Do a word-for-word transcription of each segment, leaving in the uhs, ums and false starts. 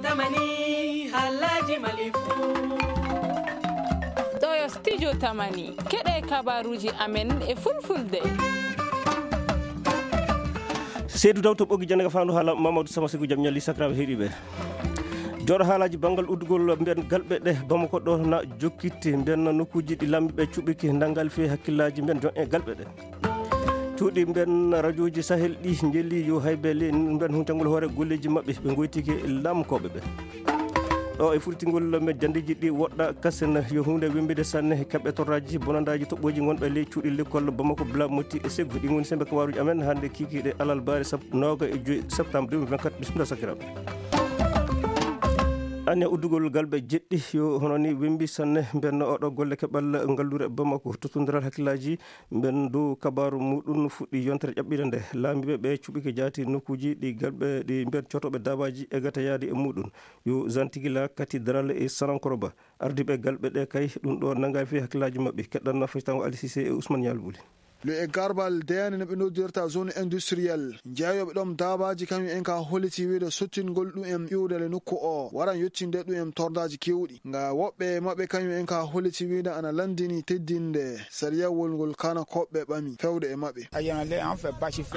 Tamani, halaji malifu. Ɗo yo studio Tamani. Keɗe kabaruji amen e fulfulde. Seydou Daw to ɓoggi jannde ka faandu haala Mamadou Sama Sekou, jam ñalli sakiraaɓe heɗiiɓe. Jooɗo haalaaji banngal uddugol mbiyen galɓe ɗe Bamako ɗo na jokkitti. Mbiyen nokkuuji ɗi laamiiɓe cuɓiki ndangal fii hakkillaaji mbiyen jon e galɓe ɗe. Cuuɗi mbiyen rajooji Sahel ɗi njeli yo haybe le mbiyen huntangol hoore golleeji maɓɓe ɓe ngoytike laamkooɓe ɓe. Ɗo e furtingol men janndeeji ɗi woɗɗa kasen yo huunde wemmbide sanne kaɓe torraaji bonandaaji toɓɓooji ngonɓe ley cuuɗi lekkol Bamako Bla Moti e Seggu. Ɗi ngoni sembe kabaruuji amen hannde kiikiiɗe alarba sep-, nooga e joy septembre deux mille vingt-quatre. Bisimilla sakiraaɓe. Anniya uddugol galɓe jeɗɗi yo hono ni wembi sanne mbenno oɗo golle keɓal ngallure Bamako. Tottondiral hakkillaaji mben dow kabaaru muɗum fuɗɗi yontere ƴaɓɓiɗe nde. Laamiiɓe ɓe cuɓike jaati nokkuuji ɗi galɓe ɗi mben cootooɓe daabaaji e gata yaade e muɗum. Yo Zantigila Cathédrale e Sanankoroba. Ardiiɓe galɓe ɗe kay, ɗum ɗo nanngaay fii hakkillaaji maɓɓe. Keɗɗan na faytango Ali Cissé e Ousmane Nial Bouli. Le e garbal deyane no ɓe noddirta zone industriel. Jeeyooɓe ɗoon daabaaji kañum en ka holliti wiide sottingol ɗum en iwde le nokku o, waran yettinde ɗum en tordaaji keewɗi. Nga woɓɓe maɓɓe kañum en ka holliti wiide ana lanndini teddinde sariyawol ngol kana koɓɓe ɓami fewde e maɓɓe.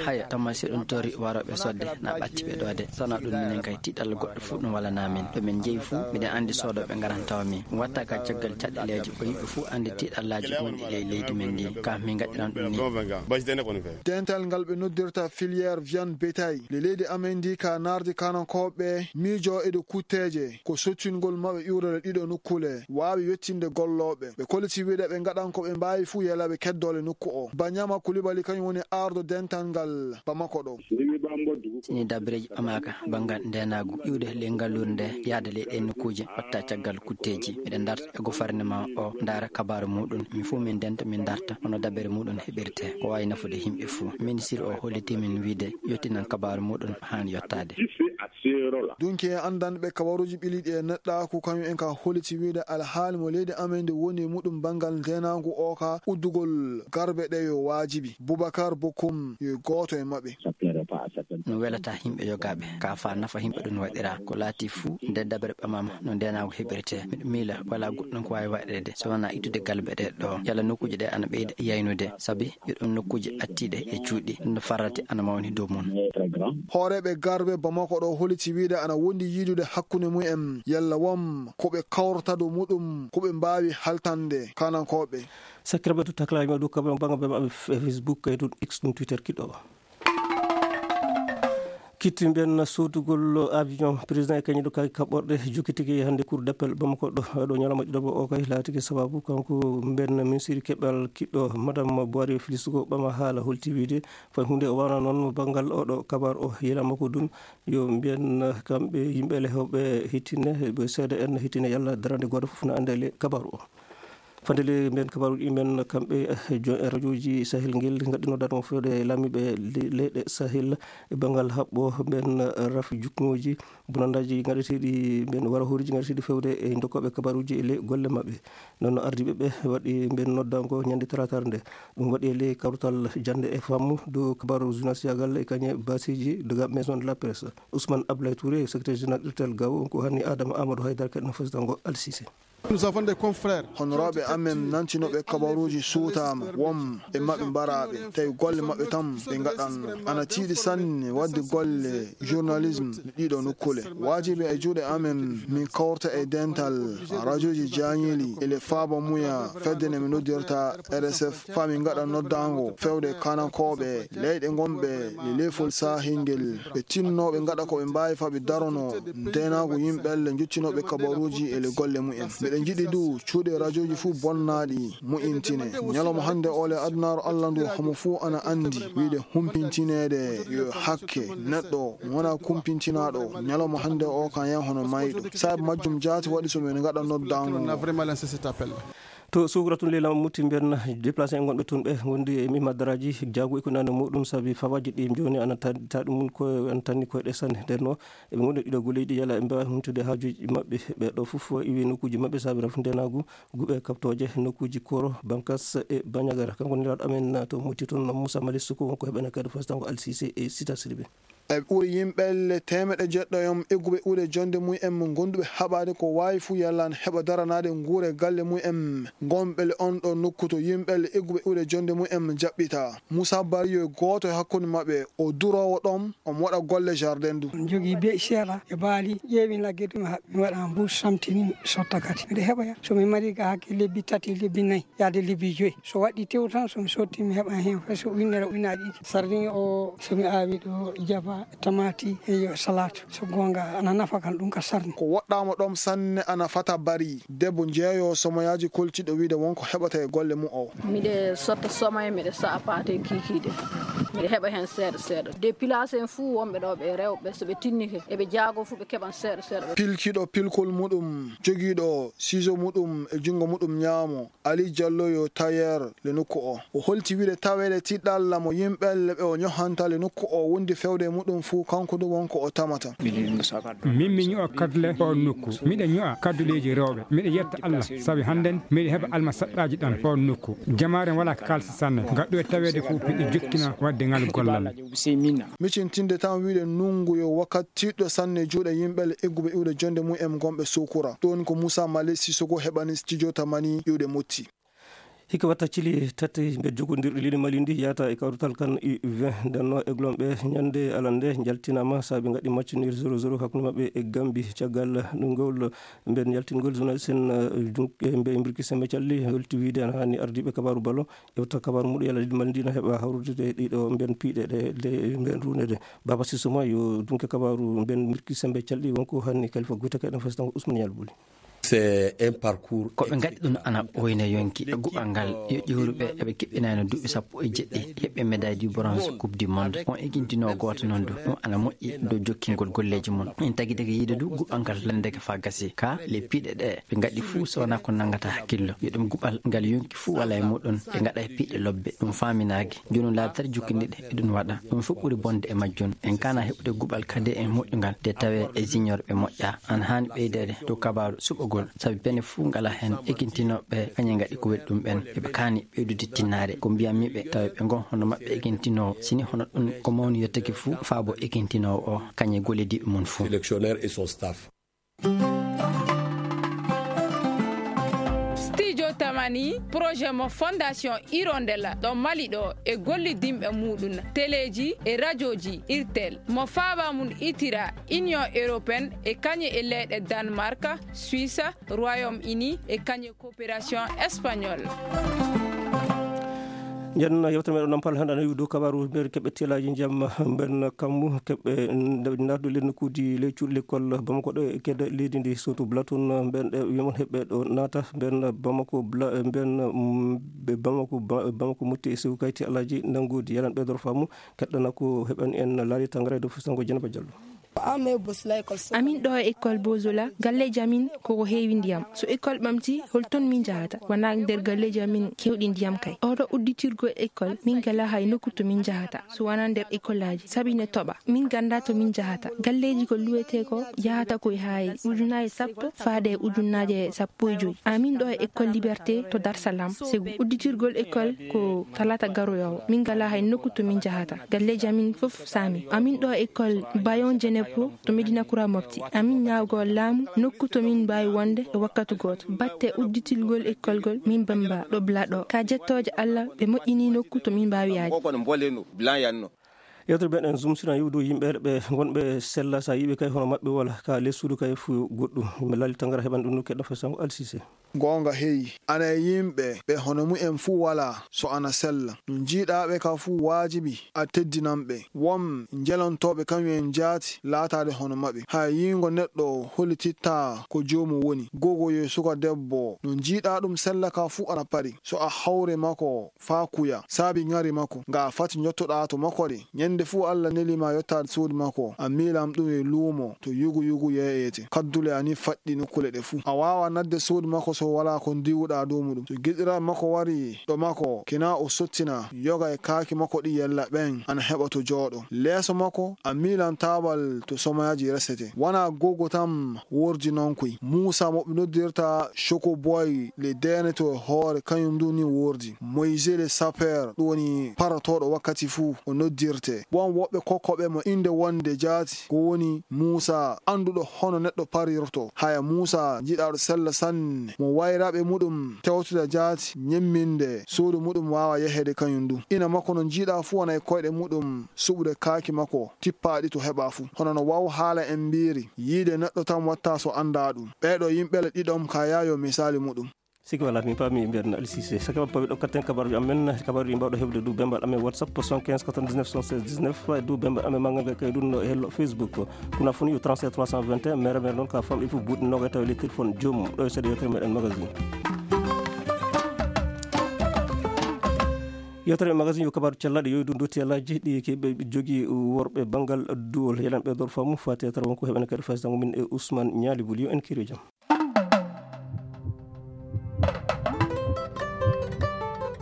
Haya, tamma si ɗum tori warooɓe sodde, na ɓatti ɓe ɗo de. Sona ɗum minen kay tiiɗal goɗɗo fof ɗum walana min. Ɗo min njeyi fof, miɗen anndi soodooɓe ngaran tawa min. Watta ka caggal caɗeeleeji, ko yimɓe fof anndi tiiɗallaaji gonɗi ley leydi men ndi. Ka min ngaɗiran ɗum ni. Dental ngal ɓe noddirta filière viande bétail, le leydi amen ndi ka naarde kanankooɓe miijo e dow kutteeje, ko sottingol maɓɓe iwrere ɗiɗo nokkule, waawi yettinde gollooɓe. Ɓe kolliti wiide ɓe ngaɗan ko ɓe mbaawi fuu yela ɓe keddole nokku o. Banyama Kulibali kañum woni ardo dental ngal Bamako ɗo. Sini dabireji ɓamaka banngal ndenaagu iwde ley ngalluure nde yaade ley ɗen nokkuuje watta caggal kutteeji. Miɗen darta e gouvernement o ndaara kabaaru muɗum. Min fof min ndenta, min darta hono dabere muɗum heɓirte. Ko waawi nafude yimɓe fof. Ministre o holliti min wiide yottinan kabaaru muɗum haan yottaade. Dunki e anndanɓe kabaruuji ɓiliiɗi e neɗɗaaku kañum en ka holliti wiide alhaali mo leydi amen ndi woni e muɗum banngal ndenaagu o ka uddugol garbe ɗe yo waajibi. Boubacar Bokoum yo gooto e maɓɓe. No welata yimɓe yogaaɓe, ka faa nafa yimɓe ɗum waɗira. Ko laati fuu, nde dabere ɓamama, no ndenaagu heɓirte. Miɗo miila, walaa goɗɗum ko waawi waɗeede, so wonaa ittude galbe ɗe ɗo. Yalla nokkuuje ɗe ana ɓeyda yaynude, sabi yo ɗum nokkuuje attiiɗe e cuuɗi, no farrate ana mawni dow mum. Hooreeɓe garbe Bamako ɗo holiti wiide ana wondi yiidude hakkunde mum en, yalla won ko ɓe kawrata dow muɗum, ko ɓe mbaawi haltande kanankooɓe. Sakiraaɓe, to taklaaji maɓɓe dow kabaru bannga ɓe maɓɓe F-, Facebook, kay ɗum X, ɗum Twitter kiɗɗo o. Kitti mbiyen soodugol avion président e kañum ɗo kay kaɓɓorɗe jokkitike hannde cour d'appel Bamako ɗo, ɗo ñalawma ɗiɗaɓo o kay laatike sababu kanko mbiyen ministre keɓal kiɗɗo Madame Boire Félix ko ɓama haala holti wiide fay huunde o wana noon banngal oɗo kabaru o yelama ko ɗum yo mbiyen kamɓe yimɓe le hewɓe hittine, ɓe seeda en hittine yalla darande gooto fof na annde le kabaru o. Fande le mbiyen kabaruuji men kamɓe, eh, jo-, eh, rajooji Sahel ngel ngaɗino dano fewde laamiiɓe le-, leyɗe Sahel e banngal haɓɓo mbiyen, eh, rafi jukngooji bonandaaji ngaɗeteeɗi mbiyen wara hooriji ngaɗeteeɗi fewde e dokkooɓe kabaruuji e le golle maɓɓe. Noon ardiiɓe ɓe waɗi mbiyen noddango ñande talaataare nde. Ɗum waɗi e le kawtal jannde e faamu dow kabaru journaliste yagal e kañe basiiji daga Maison de la Presse. Ousmane Ablaye Touré, secrétaire général irtel gawo, ko hanni Adama Amadou Haydara kadi no fasitango Alsise. Nous avons des confrères. Honoraaɓe amen nantinooɓe kabaruuji suutaama, won e maɓɓe mbaraaɓe, tawi golle maɓɓe tan ɓe ngaɗan. Ana tiiɗi sanne waɗde golle journalisme ɗiɗo nokkule. Waajibi e juuɗe amen, min kawrta e dental rajooji jaañiili e le faaba muya fedde nde min noddirta R S F, faa min ngaɗa noddaango fewde kanankooɓe leyɗe ngonɓe le leefol saahingel. Ɓe tinnoo ɓe ngaɗa ko ɓe mbaawi faa ɓe darono ndeenaagu yimɓe le njottinooɓe kabaruuji e le golle mumen. Miɗen njiɗi du cuuɗi rajooji fuu bonnaaɗi mu'intine. Ñalawma hannde o le adunaaru Alla ndu homo fuu ana anndi wiide humpintineede yo hakke neɗɗo wona kumpintinaaɗo. Ñalawma hannde o kan yan hono mayɗo. Sabu majjum jaati waɗi so min ngaɗa noddaango. To Suukra tun leyla mutti mbiyen déplacé en gonɓe tun ɓe wondi e mimma daraaji jaagu e ko nande muɗum sabi fawaji ɗi jooni ana ta-, ta ɗum ko ana tanni koyɗe sanne. Nden no eɓe gondi ɗiɗo golleji ɗi yala ɓe mbawa humtude haajuji maɓɓe. Ɓe ɗo fof iwi nokkuji maɓɓe sabi rafu ndenagu guɓe kaptooje nokkuji Koro, Bankas e Bañagara. Kanko nelaaɗo amen to mutti toon Moussa Malick Souko wonko heɓene kadi fasitango Alsise e Sita Sidibé. E ɓuri yimɓelle teemeɗe jeɗɗo yom egguɓe iwde jonde mum en mo gonduɓe haɓaade ko waawi fuu yallaan heɓa daranaade nguure galle mum en. Gonɓele on ɗo nokku to yimɓelle egguɓe iwde jonde mum en jaɓɓita. Musa Bari yo gooto e hakkunde maɓɓe, o duroowo ɗon, omo waɗa golle jardin du. On jogii be'i seeɗa e baali, ƴeewi nagge ɗum haɓɓi, mi waɗa mbuus samtini, mi sotta kadi. Miɗo heɓoya, so mi mari ga hakke lebbi tati, lebbi nayi, yaade lebbi joyi. So waɗɗi tew tan, so mi sotti, mi heɓa heen fay so ujunere, ujunaaji ɗiɗi. Sardin o, so mi aawi ɗo jaba, tamaati, e yo salatu. So goonga, ana nafa kan ɗum ka sarni. Ko woɗɗaama ɗoon sanne ana fata Bari. Debbo jeeyo somoyaaji koltiiɗo wiide wonko heɓata e golle mum o. Miɗe sotta somoye, miɗe sa'a paate kiikiiɗe. Miɗe heɓa heen seeɗa seeɗa. Dépilation en fuu wonɓe ɗo ɓe rewɓe, so ɓe tinnike, eɓe jaago fuu ɓe keɓan seeɗa seeɗa. Pilkiiɗo pilkol muɗum, jogiiɗo ciseau muɗum e junngo muɗum ñaamo, Ali Diallo yo tailleur le nokku o. O holti wiide taweede tiɗɗalla mo yimɓelle ɓe o ñohanta le nokku o wondi fewde e muɗum fuu, kanko du wonko o tamata. Min mi ño'a kadle oon nokku. Miɗa ño'a kadduleeji rewɓe. Miɗa yetta Allah sabi hannden miɗa heɓa alma saɗɗaaji ɗan oon nokku. Jamaare walaa ka kaalsi sanne. Ngaɗɗo e taweede fuu miɗa jokkina waɗde ngal gollal. Micintinde tan wiide nungu yo wakkati tiiɗɗo sanne juuɗe yimɓelle egguɓe iwde jonde mum en gonɓe Sukura. Ɗoon ko Musa Male Sisoko heɓani studio Tamani iwde Motti. Hikka watta cili tati mbe jogondirɗi leydi Mali ndi yahata e kawrutal kan U vingt. Nden no eglon ɓe ñande alande njaltinama saabi ngaɗi match nul zéro zéro hakkunde maɓɓe e Gambi. Caggal ngol mbe njaltingol journaliste en, eh, jun-, eh, mbe mbirki sembe calli holti wiide ana hani ardiiɓe kabaru balo ewta kabaru muɗum yalla leydi Mali ndi na heɓa hawrude ɗiɗo mben piiɗe ɗe, ɗe mben runede. Baba Sissouma yo dunke kabaru mben mbirki sembe calli wonko hani Kalifa Goyta kay ɗon fes tan ko Ousmane Yal Buli. C'est un parcours. Ko ɓe ngaɗi ɗum ana ɓooyna yonki. E guɓal ngal, yo ƴeewruɓe eɓe keɓɓinayno duuɓi sappo e jeɗɗi, heɓɓe médaille du bronze Coupe du Monde. On egintinoo gooto noon du, ɗum ana moƴƴi dow jokkingol golleeji mum. En tagi daga yiide du guɓal ngal lannde ka faa gasi. Ka le piiɗe ɗe ɓe ngaɗi fuu so wonaa ko nanngata hakkillo. Yo ɗum guɓal ngal yonki fuu wala e muɗum. Ɓe ngaɗa e piiɗe lobbe. Ɗum faaminaaki. Jooni laabi tati jokkindiiɗe eɗum waɗa. Ɗum fof ɓuri bonde e majjum. En kaana heɓude guɓal kadi e moƴƴungal nde tawee e junior ɓe moƴƴa. Ana haani ɓeydeede dow kabaaru suɓagol, sabi pene fuu ngala heen ekintinooɓe kañe ngaɗi ko weli ɗum ɓen. Eɓe kaani ɓeydude tinnaare. Ko mbiyammi ɓe tawa ɓe ngon hono maɓɓe ekintinoowo. Sini hono ɗum ko mawni yottake fuu faabo ekintinoowo o kañe gollidiiɓe mum fuu. Sélectionneur et son staff. Studio Tamani, projet mo Fondation Hirondella ɗo Mali ɗo e gollidinɓe muɗum, teleeji e rajooji Irtel, mo faaba mum itira Union Européenne e kañe e leyɗe Danemark, Suisse, Royaume-Uni e kañe coopération espagnole. Nden yewtere meɗen Nampal hannde ana dow kabaru nder keɓɓe teelaaji ndiyam mben kammu, keɓɓe nde nardu le nokkuuji ley cuuɗi lekkol Bamako ɗo e kedde leydi ndi, surtout Blatun, mben ɗe wiyamon heɓɓe ɗo naata, mben Bamako Bla-, mben, mm, ɓe Bamako, Ba-, Bamako Mutti e Sewu Kayti Alhaji Nanngoodi, yalan ɓeydoro faamu, keɗɗana ko heɓani en laali tangara e dow fusango Jenaba Jallo. Amin ɗo e école Bozola, galleeji amin koko heewi ndiyam. So école ɓamti, hol ton min njahata? Wonaa nder galleeji amin keewɗi ndiyam kay. Oɗo udditirgol école, min ngalaa hay nokku to min njahata, so wonaa nder école aji, sabi ne toɓa. Min nganndaa to min njahata. Galleeji ko luwetee ko yahata ko e haay ujunnaaje sappo faade e ujunnaaje sappo e joy. Amin ɗo e école Liberté to Dar Salam, Ségou. Udditirgol école ko talaata garoyoowo. Min ngalaa hay nokku to min njahata. Galleeji amin fof saami. Amin ɗo e école Bayon Djenepo to Médina Kura Mopti. Amin ñaawgol laamu nokku to min mbaawi wonde e wakkatu gooto. Batte udditilgol école gol min bamba ɗo bla ɗo. Ka jettooje Allah ɓe moƴƴini nokku to min mbaawi yaade. Yewtere meɗen Zoom sina yewdu yimɓe ɓe gonɓe sella sa yiɓe kay hono maɓɓe wala ka les suudu kay fu goɗɗum. Yimɓe laali tangara heɓan ɗum no keɗɗo fesango Alsise. Goonga heyi, ana e yimɓe ɓe hono mumen fuu walaa, so ana sella. No njiiɗaa ɓe ka fuu waajibi a teddinan ɓe. Won njelontooɓe kañum en jaati laataade hono maɓɓe. Hay yiingo neɗɗo hollititta ko joomum woni. Gogo yo suka debbo, no njiiɗaa ɗum sella ka fuu ana pari. So a hawre makko faa kuya, saabi ŋari makko, nga fati njottoɗaa to makko de. Ñande fuu Alla neli ma yottaade suudu makko, a miilam ɗum e luumo to yugu yugu yeeyete. Kaddule a ni faɗɗi nokkule ɗe fuu. A waawa nadde suudu makko so to walaa ko ndiwuɗaa dow muɗum. To giɗiraaɓe makko wari ɗo makko, kina o sottina, yoga e kaaki makko ɗi yella ɓen ana heɓa to jooɗo. Leeso makko a miilan taabal to somoyaaji resete. Wanaa gogo tan wordi non koy. Muusa mo ɓe noddirta Choco Boy le deene to e hoore, kañum ndu ni wordi. Moïse le sapeur, ɗum woni parotooɗo wakkati fuu o noddirte. Won woɓɓe kokkoɓe mo innde wonde jaati, ko woni Muusa, annduɗo hono neɗɗo parirto. Haya Muusa, jiɗaaɗo sella sanne, mo wayraaɓe muɗum tewtida jaati, ñemminde, suudu muɗum waawa yeheede kañum du. Ina makko no njiiɗaa fuu wona e koyɗe muɗum suɓude kaaki makko, tippaaɗi to heɓaa fuu. Hono no waw haala en mbiiri, yiide neɗɗo tan watta so anndaa ɗum. Ɓeeɗo yimɓe le ɗiɗon ka yaayo misaali muɗum. Siki wala mi paami mbiyaten Ali Cissé. Saka paami ɗo katten kabaruji amen, kabaruji mbawɗo heɓde du bembal amen WhatsApp soixante-quinze quatre-vingt-dix-neuf soixante-seize dix-neuf, du bembal amen mangal ngal kay ɗum no e hello Facebook. Kuna foni yo trente-sept trois cent vingt et un, mere mere noon ka famɗi fof buuɗi noga tawi le téléphone joomum. Ɗo e seeɗa yewtere meɗen magazine. Yewtere meɗen magazine yo kabaru cellaɗo yo ɗum dotti alaji ɗi keɓe jogi worɓe bangal duwol. Yeɗan ɓe dor famu fati e tara wonko heɓen kadi fasitango min e Ousmane Ñaali Buli yo en kiri jam.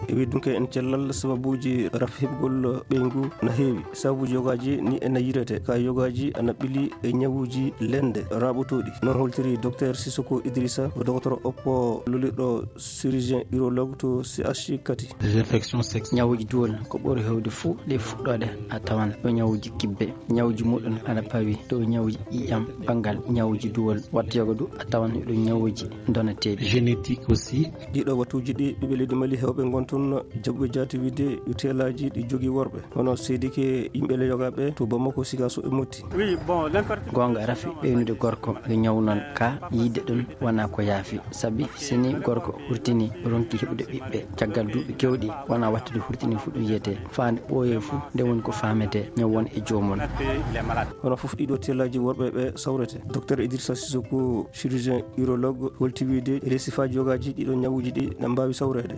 E wi dunke en cellal sababuji raf heɓgol ɓeyngu na heewi. Sababuji yogaji ni e na yirete ka yogaji ana ɓili e ñawuji lende raɓotoɗi. Noon holtiri Docteur Sissoko Idrissa, ko dogotoro oppo lolirɗo chirurgien urologue to C H U Kati. Des infections sexuelles. Ñawuji duwol ko ɓuri hewde fuu ɗe fuɗɗoɗe a tawan ɗo ñawuji kibbe. Ñawuji muɗum ana pawi dow ñawuji ƴiƴam, banngal ñawuji duwol, wattoyogo du a tawan ɗum ñawuji donateeɗi. Génétique aussi. Ɗiɗo wattuuji ɗi ɓiɓɓe leydi Mali heewɓe ngon toon jaɓuɓe jaati wiide yo teelaaji ɗi jogii worɓe, hono seedike yimɓe le yogaaɓe to Bamako, Sikaso e Motti. Goonga rafi ɓeynude gorko e ñaw noon ka yiide ɗum wona ko yaafi, sabi sini gorko hurtini ronki heɓude ɓiɓɓe caggal duuɓi kewɗi wona wattude hurtini fu ɗum yiyete faande ɓooye fu nde woni ko faamete ñaw won e joomum. Hono fof ɗiɗo teelaaji worɓe ɓe sawrete. Docteur Idrissa Sissoko, chirurgien urologue, holti wiide e ley sifaaji yogaaji ɗiɗo ñawuji ɗi na mbaawi sawreede.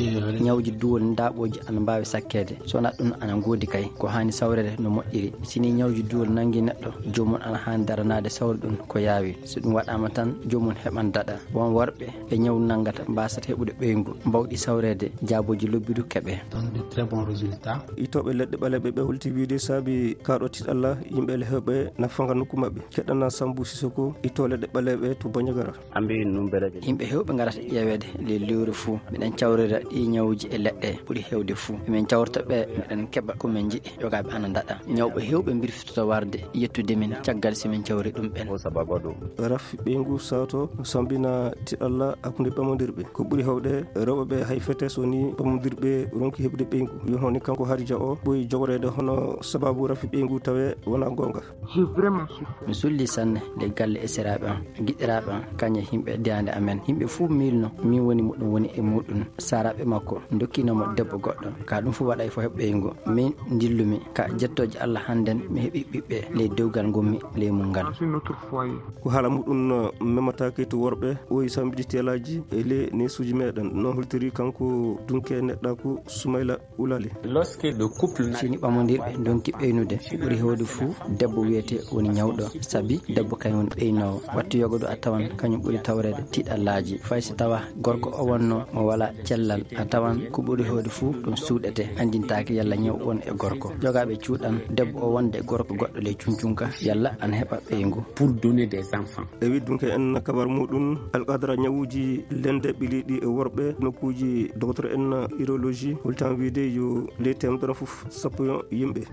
Ñawuji duwol ndaaɓooji ana mbaawi sakkeede. So wonaa ɗum ana ngoodi kay ko haani sawreede no moƴƴiri. Sini ñawuji duwol nangi neɗɗo, joomum ana haani daranaade sawri ɗum ko yaawi. So ɗum waɗaama tan, joomum heɓan daɗa. Won worɓe e ñaw nanngata mbaasata heɓude ɓeyngu, mbawɗi sawreede, jaabooji lobbi du keɓe. Donne de très bons résultats. Ittooɓe leɗɗe ɓaleeɓe ɓe holti wiide saabi kaaɗo tiɗalla yimɓe le heewɓe na fanga nokku maɓɓe. Keɗɗana Sambu Sisoko, ittoo leɗɗe ɓaleeɓe to Bandiagara. Yimɓe heewɓe ngarata ƴeeweede ley lewru fuu. Miɗen cawrira ɗii ñawuji e leɗɗe ɓuri heewde fuu. Min cawrta ɓe, miɗen keɓa ko min njiɗi. Yogaaɓe ana ndaɗa. Ñawɓe heewɓe mbirfitoto warde yettude min caggal si min cawri ɗum ɓen. Raf ɓeyngu saato sambina tiɗalla hakkunde ɓamondirɓe. Ko ɓuri heewde rewɓe ɓe hay fete so ni ɓamondirɓe ronki heɓude ɓeyngu. Yo hono ni kanko Harija o ɓuri jogoreede hono sababu rafi ɓeyngu tawe wona goonga. Mi sulli sanne ley galle e seraaɓe am, giɗiraaɓe am, kañe yimɓe diyande amen. Yimɓe fuu miilno min woni mo ɗum woni e muɗum. Saaraaɓe makko ndokkiino mo debbo goɗɗo. Ka ɗum fuu waɗay fo heɓɓeygo. Min ndillumi ka jettooje Allah hannden mi heɓi ɓiɓɓe ley dewgal ngonmi ley mum ngal. Ko haala muɗum memataake to worɓe, o yi sambidi teelaaji e ley neesuuji meɗen. No holtiri kanko dunke neɗɗaaku Sumayla Ulali. Sini ɓamondirɓe ndonki ɓeynude, ko ɓuri heewde fuu debbo wiyetee woni ñawɗo, sabi debbo kañum woni ɓeynoowo. Wattu yogodo a tawan kañum ɓuri tawreede tiiɗallaaji. Fay so tawa gorko o wonno mo wala cellal, a tawan ko ɓuri heewde fuu ɗum suuɗete, anndintaake yalla ñaw won e gorko. Yogaaɓe cuuɗan debbo o wonde gorko goɗɗo ley cuncunka, yalla ana heɓa ɓeyngu. Pour donner des enfants. E widdunke en kabar muɗum, alqadra ñawuuji lende ɓiliiɗi e worɓe nokkuuji docteur en urologie holtan wiide yo ley temedere fof sappo yimɓe.